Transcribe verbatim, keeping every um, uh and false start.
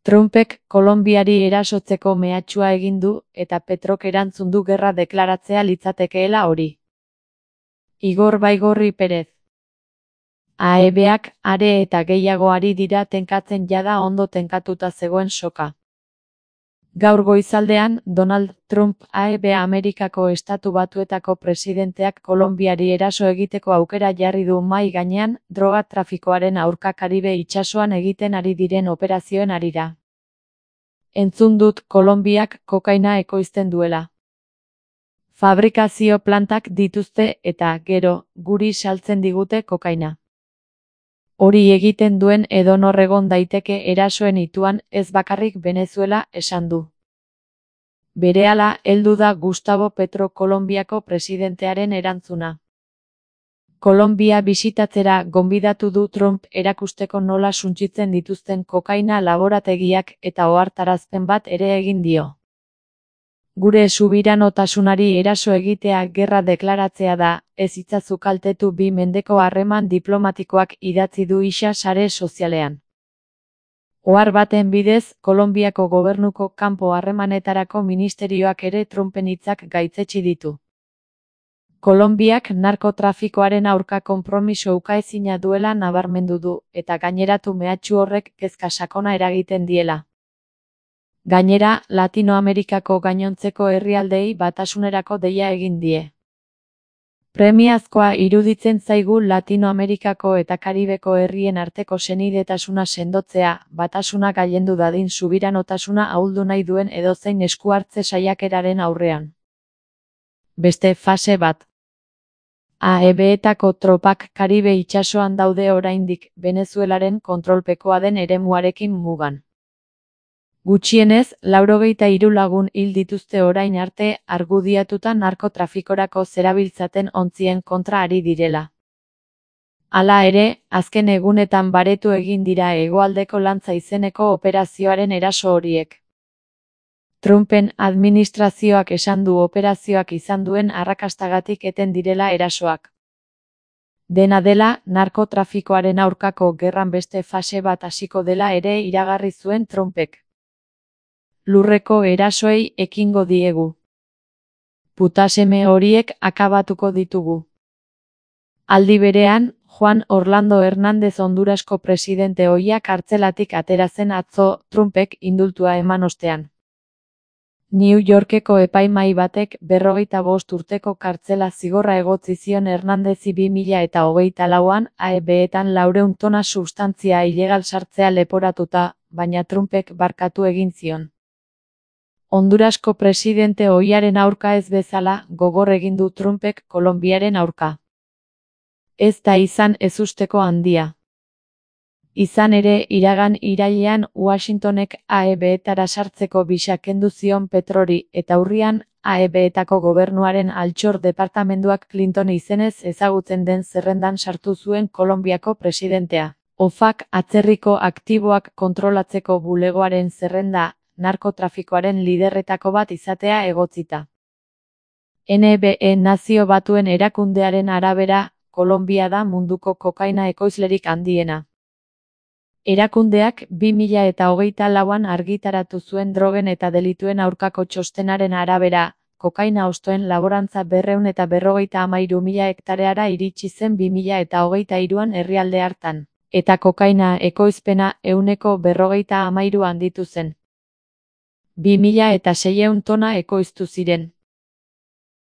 Trumpek Kolonbiari erasotzeko mehatxua egin du eta Petrok erantzun du gerra deklaratzea litzatekeela hori. Igor Baigorri Perez. A E Bak are eta gehiago ari dira tenkatzen jada ondo tenkatuta zegoen soka. Gaur goizaldean, Donald Trump A E B Amerikako Estatu Batuetako presidenteak Kolonbiari eraso egiteko aukera jarri du mahai gainean, droga trafikoaren aurka Karibe itsasoan egiten ari diren operazioen harira. Entzun dut Kolonbiak kokaina ekoizten duela. Fabrikazio plantak dituzte eta, gero, guri saltzen digute kokaina. Hori egiten duen edonor egon daiteke erasoen ituan, ez bakarrik Venezuela, esan du. Berehala heldu da Gustavo Petro Kolonbiako presidentearen erantzuna. Kolonbia bisitatzera gonbidatu du Trump erakusteko nola suntsitzen dituzten kokaina laborategiak eta ohartarazpen bat ere egin dio. Gure subiranotasunari eraso egitea gerra deklaratzea da, ez itzazu kaltetu bi mendeko harreman diplomatikoak idatzi du isa sare sozialean. Ohar baten bidez, Kolonbiako gobernuko kanpo harremanetarako ministerioak ere Trumpen hitzak gaitzetsi ditu. Kolonbiak narkotrafikoaren aurka konpromiso ukaezina duela nabarmendu du, eta gaineratu mehatxu horrek kezka sakona eragiten diela. Gainera, Latinoamerikako gainontzeko herrialdeei batasunerako deia egin die. Premiazkoa iruditzen zaigu Latinoamerikako eta Karibeko herrien arteko senidetasuna sendotzea, batasuna gailendu dadin subiranotasuna ahuldu nahi duen edozein esku hartze saiakeraren aurrean. Beste fase bat. A E Betako tropak Karibe itsasoan daude oraindik, Venezuelaren kontrolpekoa den eremuarekin mugan. Gutxienez, laurogeita hiru lagun hil dituzte orain arte argudiatuta narkotrafikorako zerabiltzaten ontzien kontra ari direla. Hala ere, azken egunetan baretu egin dira hegoaldeko lantza izeneko operazioaren eraso horiek. Trumpen administrazioak esan du operazioak izan duen arrakastagatik eten direla erasoak. Dena dela, narkotrafikoaren aurkako gerran beste fase bat hasiko dela ere iragarri zuen Trumpek. Lurreko erasoei ekingo diegu. Putaseme horiek akabatuko ditugu. Aldi berean, Juan Orlando Hernández Hondurasko presidente ohiak kartzelatik atera zen atzo, Trumpek indultua eman ostean. New Yorkeko epaimahai batek berrogeita bost urteko kartzela zigorra egotzi zion Hernándezi bi mila eta hogeita lauan A E Betan laurehun tona substantzia ilegal sartzea leporatuta, baina Trumpek barkatu egin zion. Hondurasko presidente ohiaren aurka ez bezala, gogor egin du Trumpek Kolonbiaren aurka. Ez da izan ezusteko handia. Izan ere, iragan irailean Washingtonek A E Betara sartzeko bisa kendu zion Petrori eta urrian A E Betako gobernuaren altxor departamenduak Clinton izenez ezagutzen den zerrendan sartu zuen Kolonbiako presidentea. O F A C atzerriko aktiboak kontrolatzeko bulegoaren zerrenda, narkotrafikoaren liderretako bat izatea egotzita. N B E Nazio Batuen erakundearen arabera, Kolonbia da munduko kokaina ekoizlerik handiena. Erakundeak bi mila eta hogeita lauan argitaratu zuen drogen eta delituen aurkako txostenaren arabera, kokaina hostoen laborantza berrehun eta berrogeita hamairu mila hektareara iritsi zen bi mila eta hogeita hiruan herrialde hartan, eta kokaina ekoizpena ehuneko berrogeita hamairu handitu zen. bi mila eta seiehun tona ekoiztu ziren.